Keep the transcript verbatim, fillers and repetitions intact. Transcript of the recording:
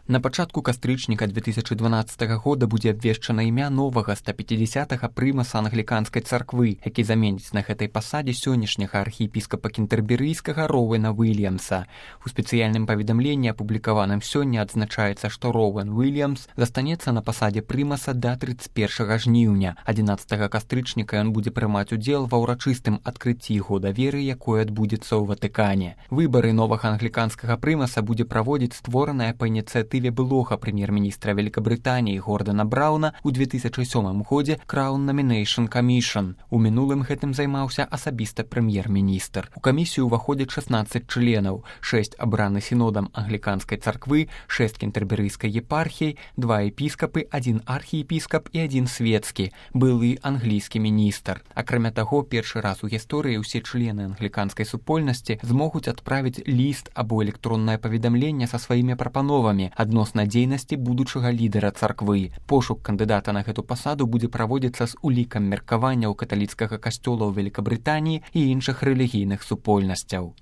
На пачатку кастрычніка две тысячы дванаццатага года будзе абвешчана імя новага ста пяцідзясятага прымаса англіканскай царквы, які заменіць на гэтай пасадзе сённяшняга архіепіскапа кентэрберыйскага Роуэна Уильямса. У спецыяльным паведамленні, апублікаваным сёння, адзначаецца, што Роуэн Уильямс застанецца на пасадзе прымаса да трыццаць першага жніўня. адзінаццатага кастрычніка ён будзе прымаць удзел ва ўрачыстым адкрыцці года веры, якое адбудзецца ў Ватыкане. Выбары новага англіканскага прымаса будзе праводзіць створаная па ініцыятыве былога прэм'ер-міністра Великабрытаніі Гордана Брауна ў две тысячы сёмым годзе Crown Nomination Commission. У мінулым гэтым займаўся асабіста прэм'ер-міністр. У камісію ўваходзяць шаснаццаць членаў, шэсць абраны сінодам англіканскай царквы, шэсць кентэрберыйскай епархіяй, два епіскапы, адзін архіепіскап і адзін свецкі, былы англійскі міністр. Акрамя таго, першы раз у гісторыі ўсе члены англіканскай супольнасці змогуць адправіць ліст або электроннае паведамленне са сваімі прапановамі адносна дзейнасці будучага лідара царквы. Пошук кандыдата на гэту пасаду будзе праводзіцца з улікам меркаванняў каталіцкага касцёла ў Великабрытаніі і іншых рэлігійных супольнасцяў.